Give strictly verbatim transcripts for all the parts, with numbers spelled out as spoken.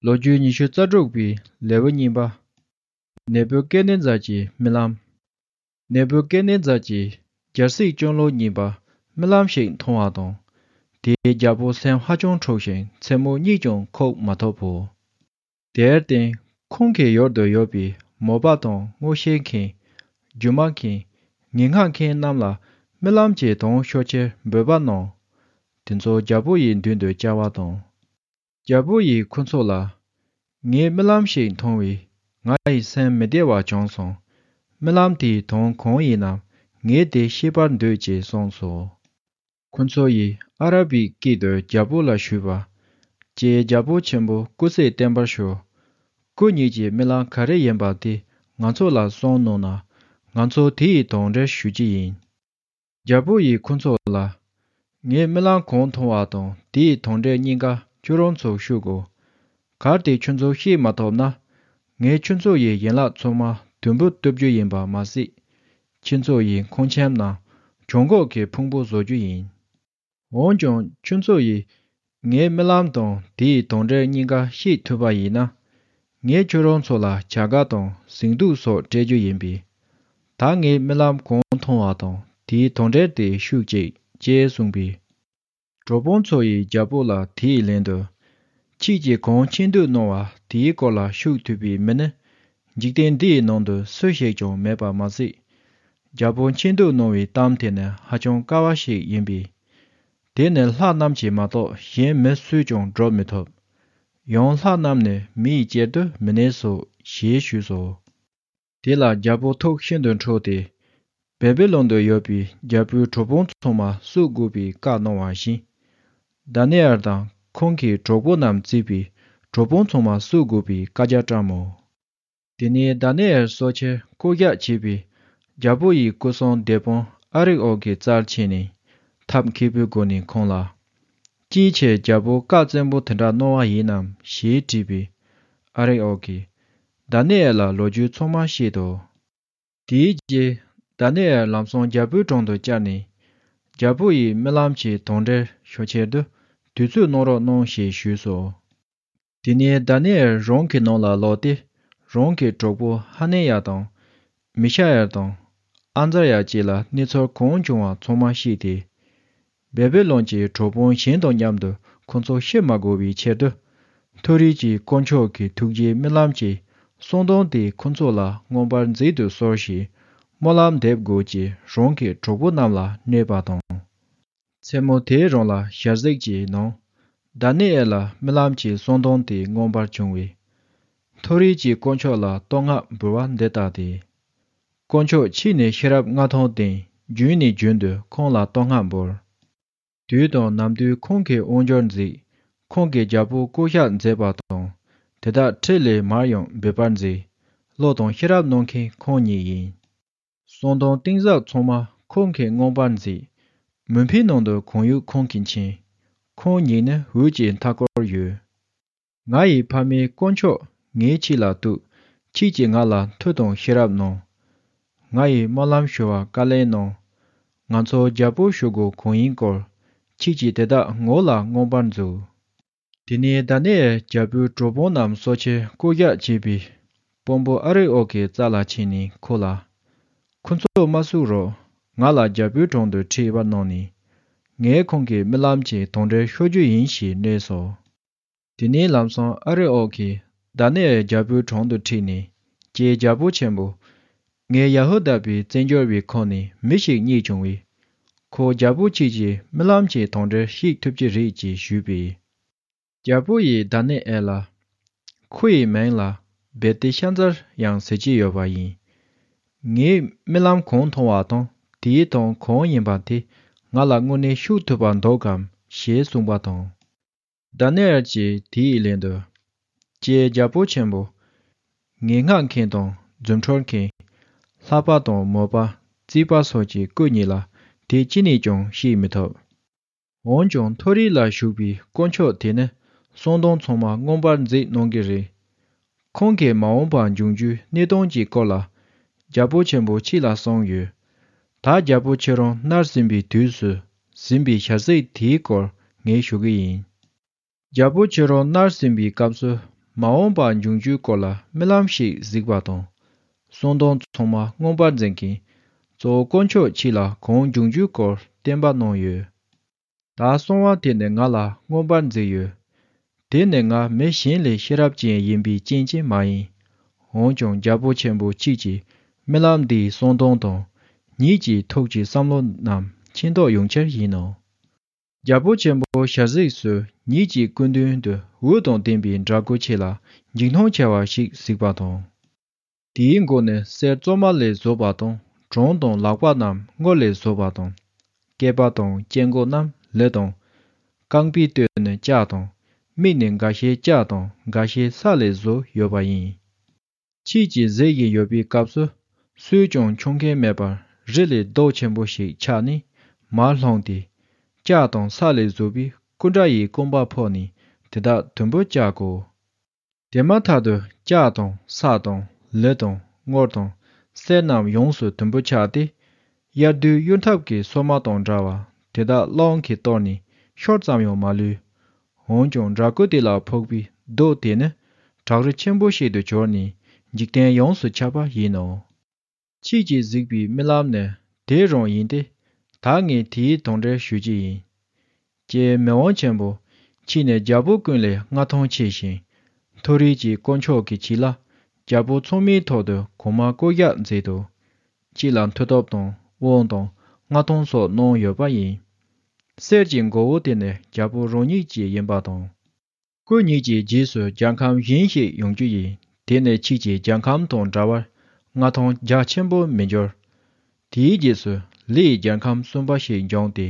ལོ་རྒྱུས་ཉི་ཤུ་རྩ་དྲུག་པའི་ལེའུ་གཉིས་པ། ནད་འབུ་སྐལ་ལྡན་རྫ་ཆེན་རྨི་ལམ། ནད་འབུ་སྐལ་ལྡན་རྫ་ཆེན་རྒྱལ་སྲིད་སྐྱོང་ལོ་གཉིས་པ་རྨི་ལམ་ཞིག་མཐོང་བ་དང་། དེས་རྒྱལ་པོ་སེམས་ཧ་ཅང་འཁྲུགས་ཤིང་མཚན་མོ་གཉིད་ཀྱང་ཁུག་མ་ཐུབ་བོ། དེར་བརྟེན་ཁོང་གི་ཡུལ་དུ་ཡོད་པའི་མོས་པ་དང་མངོན་ཤེས་མཁན། སྒྱུ་མ་མཁན། ངན་སྔགས་མཁན་རྣམས་ལ་རྨི་ལམ་གྱི་དོན་ཤོད་ཕྱིར་འབོད་པ་གནང་། དེ་ཚོ་རྒྱལ་པོ་ཡི་མདུན་དུ་བཅར་བ་དང་། རྒྱལ་པོ་ཡིས་ཁོ་ཚོ་ལ། ངས་རྨི་ལམ་ཞིག་མཐོང་བས་ང་ཡི་སེམས་མི་བདེ་བ་བྱུང་སོང་། རྨི་ལམ་དེའི་དོན་གང་ཡིན་ནམ་ངས་དེ་ཤེས་པར་འདོད་ཅེས་གསུངས་སོ། ཁོ་ཚོ་ཡིས་ཨ་ར་བིའི་སྐད་དུ་རྒྱལ་པོ་ལ་ཞུས་པ། ཀྱེ་རྒྱལ་པོ་ཆེན་པོ་སྐུ་ཚེ་བརྟན་པར་ཤོག་སྐུ་ཉིད་ཀྱི་རྨི་ལམ་ག་རེ་ཡིན་པ་དེ་ང་ཚོ་ལ་གསུང་གནང་ན། ང་ཚོ་དེ་ཡི་དོན་འགྲེལ་ཞུ་རྒྱུ་ཡིན། རྒྱལ་པོ་ཡིས་ཁོ་ཚོ་ལ། ངས་རྨི་ལམ་གང་མཐོང་བ་དང་དེའི་དོན་འགྲེལ་གཉིས་ཀ་ཁྱོད་རང་ཚོར་ཞུ་དགོས། གལ་ཏེ་ཁྱོད་ཚོས་ཤེས་མ་ཐུབ་ན། ངས་ཁྱོད་ཚོ་ཡི་ཡན་ལག་ཚང་མ་དུམ་བུ་གཏུབ་རྒྱུ་ཡིན་པ་མ་ཟད། ཁྱོད་ཚོ་ཡི་ཁང་ཁྱིམ་རྣམས་བྱང་གོག་གི་ཕུང་པོ་བཟོ་རྒྱུ་ཡིན། འོན་ཀྱང་ཁྱོད་ཚོ་ཡིས་ངའི་རྨི་ལམ་དང་དེའི་དོན་འགྲེལ་གཉིས་ཀ་ཤེས་ཐུབ་པ་ཡིན་ན། ངས་ཁྱོད་རང་ཚོ་ལ་བྱ་དགའ་དང་ཟིང་འདུག་སོགས་སྤྲད་རྒྱུ་ཡིན་པས། ད་ངས་རྨི་ལམ་གང་མཐོང་བ་དང་དེའི་དོན་འགྲེལ་དེ་ཤོད་ཅིག་ཅེས་གསུངས་པས། གྲོགས་པོ་ཚོ་ཡིས་རྒྱལ་པོ་ལ་དེའི་ལན་དུ། ཁྱེད་ཀྱིས་གང་མཁྱེན་སྡུག་གནང་བ་དེའི་སྐོར་ལ་ཤོད་ཐུབ་པའི་མི་ནི། འཇིག་རྟེན་འདིའི་ནང་དུ་སུ་ཞིག་ཀྱང་མེད་པ་མ་ཟད། རྒྱལ་པོ་མཁྱེན་སྡུག་གནང་བའི་གཏམ་དེ་ནི་ཧ་ཅང་དཀའ་བ་ཞིག་ཡིན་པས། དེ་ནི་ལྷ་རྣམས་ཀྱིས་མ་གཏོགས་གཞན་མི་སུས་ཀྱང་སྒྲུབ་མི་ཐུབ། ཡང་ལྷ་རྣམས་ནི་མི་ཡི་གཅེར་དུ་མི་གནས་སོ་ཞེས་ཞུས་སོ། དེ་ལ་རྒྱལ་པོ་ཐུགས་ཤིན་ཏུ་འཁྲུགས་ཏེ། བེ་བི་ལོན་དུ་ཡོད་པའི་རྒྱལ་པོའི་གྲོགས་པོ་ཚང་མ་གསོད་དགོས་པའི་བཀའ་གནང་བ་བཞིན། དཱ་ནི་ཨེལ་དང་ཁོང་གི་གྲོགས་པོ་རྣམས་བརྩིས་པའི་གྲོགས་པོ་ཚང་མ་གསོད་དགོས་པའི་བཀའ་རྒྱ་བཀྲམ་མོ། དེ་ནས་དཱ་ནི་ཨེལ་གསོད་ཕྱིར་བསྐོ་གཞག་བྱས་པའི་རྒྱལ་པོ་ཡི་སྐུ་སྲུང་སྡེ་དཔོན་ཨ་རིག་ཨོ་གི་རྩར་ཕྱིན་ནས་ཐབས་མཁས་པོའི་སྒོ་ནས་ཁོང་ལ། ཅིའི་ཕྱིར་རྒྱལ་པོ་བཀའ་བཙན་པོ་དེ་འདྲ་གནང་བ་ཡིན་ནམ་ཞེས་དྲིས་པས། ཨ་རིག་ཨོ་གིས། དཱ་ནི་ཨེལ་ལ་ལོ་རྒྱུས་ཚང་མ་བཤད་དོ། དེའི་རྗེས་དཱ་ནི་ཨེལ་ལམ་སང་རྒྱལ་པོའི་དྲུང་དུ་བཅར་ནས། རྒྱལ་པོ་ཡིས་རྨི་ལམ་གྱི་དོན་འགྲེལ་ཤོད་ཕྱིར་དུ་དུས་ཚོད་གནང་རོགས་གནང་ཞེས་ཞུས་སོ། དེ་ནས་དཱ་ནི་ཨེལ་རང་གི་ནང་ལ་ལོག་སྟེ། རང་གི་གྲོགས་པོ་ཧ་ནེ་ཡ་དང་། མི་ཤ་ཡལ་དང་། ཨ་ཛར་ཡ་བཅས་ལ་གནས་ཚུལ་གང་བྱུང་བ་ཚང་མ་བཤད་དེ། བེ་བི་ལོན་གྱི་གྲོགས་པོ་གཞན་དང་མཉམ་དུ་ཁོ་ཚོ་ཤི་མ་དགོས་པའི་ཕྱིར་དུ། མཐོ་རིས་ཀྱི་དཀོན་མཆོག་གི་ཐུགས་རྗེའི་རྨི་ལམ་གྱི་གསུང་དོན་དེ་ཁོ་ཚོ་ལ་མངོན་པར་མཛད་དུ་གསོལ་ཞེས་སྨོན་ལམ་འདེབས་དགོས་ཅེས་རང་གི་གྲོགས་པོ་རྣམས་ལ་སྨྲས་པ་དང་། མཚན་མོ་དེའི་རིང་ལ་ཞལ་གཟིགས་ཀྱི་ནང་། དཱ་ནི་ཨེལ་ལ་རྨི་ལམ་གྱི་གསུང་དོན་དེ་མངོན་པར་བྱུང་བས། མཐོ་རིས་ཀྱི་དཀོན་མཆོག་ལ་བསྟོད་བསྔགས་འབུལ་བ་འདི་ལྟ་སྟེ། དཀོན་མཆོག་ཁྱེད་ནི་ཤེས་རབ་མངའ་ཐང་ལྡན། རྒྱུན་ནས་རྒྱུན་དུ་ཁོང་ལ་བསྟོད་བསྔགས་འབུལ། དུས་དང་ནམ་དུས་ཁོང་གི་དབང་འབྱོར་མཛད། ཁོང་གིས་རྒྱལ་པོ་བསྐོ་གཞག་མཛད་པ་དང་། དེ་དག་ཁྲི་ལས་མར་ཡང་འབུད་པར་མཛད། བློ་དང་ཤེས་རབ་གནང་མཁན་ཁོང་ཉིད་ཡིན། གསང་གདོང་གཏིང་ཟབ་ཚང་མ་ཁོང་གིས་མངོན་པར་མཛད། མུན་པའི་ནང་དུ་གང་ཡོད་ཁོང་གིས་མཁྱེན། ཁོང་ཉིད་ནི་འོད་ཀྱི་མཐའ་སྐོར་ཡོད། ང་ཡི་ཕ་མའི་དཀོན་མཆོག་ངས་ཁྱེད་ལ་གཏུགས། ཁྱེད་ཀྱིས་ང་ལ་མཐུ་དང་ཤེས་རབ་གནང་། ང་ཡི་སྨོན་ལམ་ཞུ་བར་བཀའ་ལན་གནང་། ང་ཚོ་རྒྱལ་པོ་ཞུ་དགོས་གང་ཡིན་སྐོར། ཁྱེད་ཀྱིས་དེ་དག་ངོ་ལ་མངོན་པར་མཛོད། དེ་ནས་དཱ་ནི་ཨེལ་རྒྱལ་པོའི་གྲོགས་པོ་རྣམས་གསོད་ཕྱིར་བསྐོ་གཞག་བྱས་པའི་དཔོན་པོ་ཨ་རི་ཨོག་གི་རྩ་ལ་ཕྱིན་ནས་ཁོ་ལ། ཁོ་ཚོ་མ་གསོད་རོགས། ང་ལ་རྒྱལ་པོའི་དྲུང་དུ་ཁྲིད་པར་གནང་ནས། ངས་ཁོང་གི་རྨི་ལམ་གྱི་དོན་འགྲེལ་ཤོད་རྒྱུ་ཡིན་ཞེས་སྨྲས་སོ། དེ་ནས་ལམ་སང་ཨ་རི་ཨོག་གིས་དཱ་ནི་ཨེལ་རྒྱལ་པོའི་དྲུང་དུ་ཁྲིད་ནས། ཀྱེ་རྒྱལ་པོ་ཆེན་པོ། ངས་ཡ་ཧུ་དཱ་པའི་བཙན་བྱོལ་བའི་ཁོངས་ནས་མི་ཞིག་རྙེད་བྱུང་བས། ཁོ་རྒྱལ་པོ་ཁྱེད་ཀྱི་རྨི་ལམ་གྱི་དོན་འགྲེལ་ཤེས་ཐུབ་ཀྱི་རེད་ཅེས་ཞུས་པས། རྒྱལ་པོ་ཡིས་དཱ་ནི་ཨེལ་ལ། ཁོ་ཡི་མིང་ལ་བེ་ཏི་ཤ་ཛར་ཡང་ཟེར་གྱི་ཡོད་པ་ཡིན། ངས་རྨི་ལམ་གང་མཐོང་བ་དང་དེའི་དོན་གང་ཡིན་པ་དེ་ང་ལ་དངོས་གནས་ཤོད་ཐུབ་པ་འདུག་གམ་ཞེས་གསུངས་པ་དང་། དཱ་ནི་ཨེལ་གྱིས་དེའི་ལན་དུ། ཀྱེ་རྒྱལ་པོ་ཆེན་པོ། ངན་སྔགས་མཁན་དང་རྫུ་འཕྲུལ་མཁན། ལྷ་པ་དང་མོས་པ། རྩིས་པ་སོགས་ཀྱི་སྐུ་ཉིད་ལ་དེ་ཅི་ནས་ཀྱང་ཤེས་མི་ཐུབ། འོན་ཀྱང་མཐོ་རིས་ལ་བཞུགས་པའི་དཀོན་མཆོག་དེ་ནི་གསང་གདོང་ཚང་མ་མངོན་པར་མཛད་གནང་གི་རེད། ཁོང་གིས་མ་འོངས་པར་འབྱུང་རྒྱུའི་གནས་སྟངས་ཀྱི་སྐོར་ལ། རྒྱལ་པོ་ཆེན་པོ་ཁྱེད་ལ་གསུངས་ཡོད། ད་རྒྱལ་པོ་ཁྱེད་རང་མནལ་ཟིན་པའི་དུས་སུ་ཟིན་པའི་ཞལ་གཟིགས་དེའི་སྐོར་ངས་ཞུ་གི་ཡིན། རྒྱལ་པོ་ཁྱེད་རང་མནལ་ཟིན་པའི་སྐབས་སུ་ མ་འོངས་པ་འབྱུང་རྒྱུའི་སྐོར་ལ་རྨི་ལམ་ཞིག་གཟིགས་པ་དང་། གསང་སྟོང་ཚང་མ་མངོན་པར་མཛད་མཁན་གཙོ་བོ་དཀོན་མཆོག་ཁྱེད་ལ་གང་འབྱུང་རྒྱུའི་སྐོར་བསྟན་པ་གནང་ཡོད། ད་གསང་བ་དེ་ནི་ང་ལ་མངོན་པར་མཛད་ཡོད། དེ་ནི་ང་མི་གཞན་ལས་ཤེས་རབ་ཅན་ཡིན་པའི་རྐྱེན་གྱིས་མ་ཡིན། འོན་ཀྱང་རྒྱལ་པོ་ཆེན་པོ་ཁྱེད་ཀྱིས་རྨི་ལམ་འདིའི་གསང་སྟོང་དང་། ཉིད་ཀྱི་ཐུགས་ཀྱི་བསམ་བློ་རྣམས་མཁྱེན་རྟོགས་ཡོང་ཕྱིར་ཡིན་ནོ། རྒྱལ་པོ་ཆེན་པོ་ཞལ་གཟིགས་སུ་ཉིད་ཀྱི་སྐུ་མདུན་དུ་འོད་དང་ལྡན་པའི་འདྲ་སྐུ་ཆེ་ལ་འཇིགས་སྣང་ཆེ་བ་ཞིག་གཟིགས་པ་དང་། དེའི་མགོ་ནི་གསེར་བཙོ་མ་ལས་བཟོས་པ་དང་། བྲང་དང་ལག་པ་རྣམས་དངུལ་ལས་བཟོས་པ་དང་། སྐེད་པ་དང་སྐེ་འགོ་རྣམས་ལི་དང་། རྐང་པའི་སྟོད་ནི་ལྕགས་དང་། མིག་ནི་འགའ་ཤས་ལྕགས་དང་འགའ་ཤས་ས་ལས་བཟོས་ཡོད་པ་ཡིན། ཁྱེད་ཀྱིས་གཟིགས་བཞིན་ཡོད་པའི་སྐབས་སུ། སུས་ཀྱང་མཆོང་མཁན་མེད་པར་རི་ལས་རྡོ་ཆེན་པོ་ཞིག་ཆགས་ནས་མར་ལྷུང་སྟེ། ལྕགས་དང་ས་ལས་བཟོས་པའི་སྐུ་འདྲ་ཡི་རྐང་པ་ཕོག་ནས་དེ་དག་དུམ་བུ་བཅག་གོ། དེ་མ་ཐག་ཏུ་ལྕགས་དང་ས་དང་ལི་དང་དངུལ་དང་གསེར་རྣམས་ཡོངས་སུ་དུམ་བུ་ཆགས་ཏེ། དབྱར་དུས་གཡུར་འཐབ་ཀྱི་སོ་མ་དང་འདྲ་བ་དེ་དག་རླུང་གིས་གཏོར་ནས་ཤོར་ཙམ་ཡང་མ་ལུས། འོན་ཀྱང་འདྲ་སྐུ་དེ་ལ་ཕོག་པའི་རྡོ་དེ་ནི་བྲག་རི་ཆེན་པོ་ཞིག་ཏུ་གྱུར་ནས་འཇིག་རྟེན་ཡོངས་སུ་ཁྱབ་པ་ཡིན་ནོ། ཁྱེད་ཀྱིས་གཟིགས་པའི་རྨི་ལམ་ནི་དེ་རང་ཡིན་ཏེ། ད་ངས་དེའི་དོན་འགྲེལ་ཞུ་རྒྱུ་ཡིན། ཀྱེ་མི་དབང་ཆེན་པོ། ཁྱེད་ནི་རྒྱལ་པོ་ཀུན་ལས་མངའ་ཐང་ཆེ་ཞིང་། མཐོ་རིས་ཀྱི་དཀོན་མཆོག་གིས་ཁྱེད་ལ་རྒྱལ་པོ་ཚང་མའི་ཐོག་ཏུ་གོང་མ་བསྐོ་གཞག་མཛད་དོ། ཁྱེད་ལ་མཐུ་སྟོབས་དང་དབང་དང་མངའ་ཐང་སོགས་གནང་ཡོད་པ་ཡིན། གསེར་གྱི་མགོ་བོ་དེ་ནི་རྒྱལ་པོ་རང་ཉིད་ཀྱི་ཡིན་པ་དང་། སྐུ་ཉིད་ཀྱི་རྗེས་སུ་རྒྱལ་ཁམས་གཞན་ཞིག་ཡོང་རྒྱུ་ཡིན། དེ་ནི་ཁྱེད་ཀྱི་རྒྱལ་ཁམས་དང་འདྲ་བར་མངའ་ཐང་རྒྱ་ཆེན་པོ་མི་འགྱུར། དེའི་རྗེས་སུ་ལི་ཡི་རྒྱལ་ཁམས་གསུམ་པ་ཞིག་འབྱུང་སྟེ།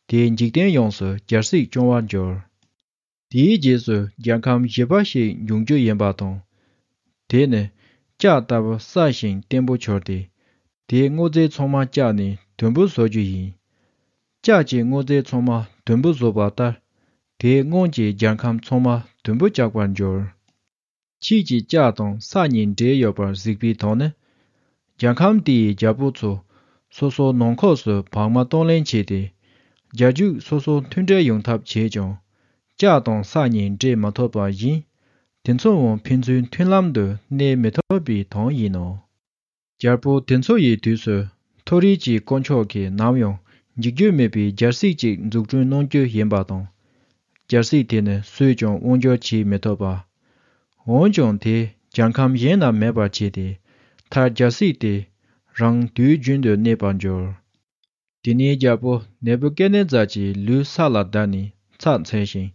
དེས་འཇིག་རྟེན་ཡོངས་སུ་རྒྱལ་སྲིད་སྐྱོང་བར་འགྱུར། དེའི་རྗེས་སུ་རྒྱལ་ཁམས་བཞི་པ་ཞིག་འབྱུང་རྒྱུ་ཡིན་པ་དང་། དེ་ནི་ལྕགས་ལྟ་བུ་སྲ་ཞིང་བརྟན་པོ་གྱུར་ཏེ། དེའི་དངོས་རྫས་ཚང་མ་བཅག་ནས་དུམ་བུ་བཟོ་རྒྱུ་ཡིན། ལྕགས་ཀྱི་དངོས་རྫས་ཚང་མ་དུམ་བུ་བཟོས་པ་ལྟར། དེའི་དངངས་ཀྱིས་རྒྱལ་ཁམས་ཚང་མ་དུམ་བུ་བཅག་པར་འགྱུར། ཁྱེད་ཀྱིས་ལྕགས་དང་ས་གཉིས་འདྲེས་ཡོད་པར་གཟིགས་པའི་དོན་ནི། རྒྱལ་ཁམས་དེ་ཡི་རྒྱལ་པོ་ཚོ་སོ་སོའི་ནང་ཁོངས་སུ་བག་མ་གཏོང་ལེན་བྱས་ཏེ། རྒྱལ་རྒྱུད་སོ་སོ་མཐུན་འབྲེལ་ཡོང་ཐབས་བྱས་ཀྱང་། ལྕགས་དང་ས་གཉིས་འདྲེས་མ་ཐུབ་པ་བཞིན། དེ་ཚོའང་ཕན་ཚུན་མཐུན་ལམ་དུ་གནས་མི་ཐུབ་པའི་དོན་ཡིན་ནོ། རྒྱལ་པོ་དེ་ཚོ་ཡི་དུས་སུ་མཐོ་རིས་ཀྱི་དཀོན་མཆོག་གིས་ནམ་ཡང་འཇིག་རྒྱུ་མེད་པའི་རྒྱལ་སྲིད་ཅིག་འཛུགས་སྐྲུན་གནང་རྒྱུ་ཡིན་པ་དང་། རྒྱལ་སྲིད་དེ་ནི་སུས་ཀྱང་དབང་སྒྱུར་བྱེད་མི་ཐུབ་པ། འོན་ཀྱང་དེས་རྒྱལ་ཁམས་གཞན་རྣམས་མེད་པར་བྱས་ཏེ། མཐར་རྒྱལ་སྲིད་དེ་རང་དུས་རྒྱུན་དུ་གནས་པར་འགྱུར། དེ་ནས་རྒྱལ་པོ་ནེ་བུ་ཀེ་ནེ་ཛར་གྱི་ལུས་ས་ལ་བརྡབས་ནས་ཚར་འཚོལ་ཞིང་།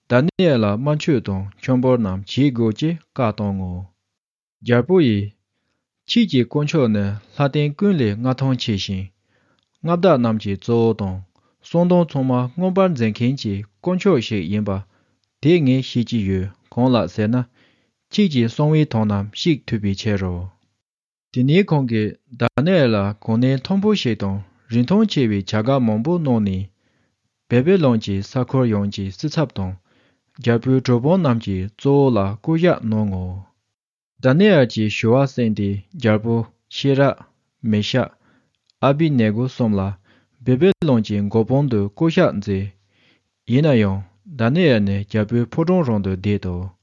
དཱ་ནི་ཨེལ་ལ་དམར་མཆོད་དང་མཆོད་འབུལ་རྣམས་བྱེད་དགོས་ཅེས་བཀའ་བཏང་ངོ་། རྒྱལ་པོ་ཡིས། ཁྱེད་ཀྱི་དཀོན་མཆོག་ནི་ལྷ་ལྡན་ཀུན་ལས་མངའ་ཐང་ཆེ་ཞིང་། མངའ་བདག་རྣམས་ཀྱི་གཙོ་བོ་དང་། གསང་སྟོང་ཚང་མ་མངོན་པར་མཛད་མཁན་གྱི་དཀོན་མཆོག་ཞིག་ཡིན་པ། དེ་ངས་ཤེས་ཀྱི་ཡོད། གང་ལགས་ཟེར་ན། ཁྱེད་ཀྱི་གསང་བའི་དོན་རྣམས་ཤེས་ཐུབ་པའི་ཕྱིར་རོ། དེ་ནས་ཁོང་གིས་དཱ་ནི་ཨེལ་ལ་གོ་གནས་མཐོན་པོ་ཞིག་དང་རིན་ཐང་ཆེ་བའི་བྱ་དགའ་མང་པོ་གནང་ནས། བེ་བེ་ལོན་གྱི་ས་ཁུལ་ཡོངས་ཀྱི་སྲིད་ཚབ་དང་། རྒྱལ་པོའི་གྲུབ་དབང་རྣམས་ཀྱི་གཙོ་བོ་ལ་བསྐོ་གཞག་གནང་ངོ་། དཱ་ནི་ཨེལ་གྱི་ཞུ་བ་གསན་ཏེ་རྒྱལ་པོ་ཤེ་རག་མེ་ཤག་ཨ་བི་ནེ་གོ་གསུམ་ལ་བེ་བེ་ལོན་གྱི་མགོ་དཔོན་དུ་བསྐོ་གཞག་མཛད། ཡིན་ན་ཡང་དཱ་ནི་ཨེལ་ནི་རྒྱལ་པོའི་ཕོ་བྲང་རང་དུ་བསྡད་དོ།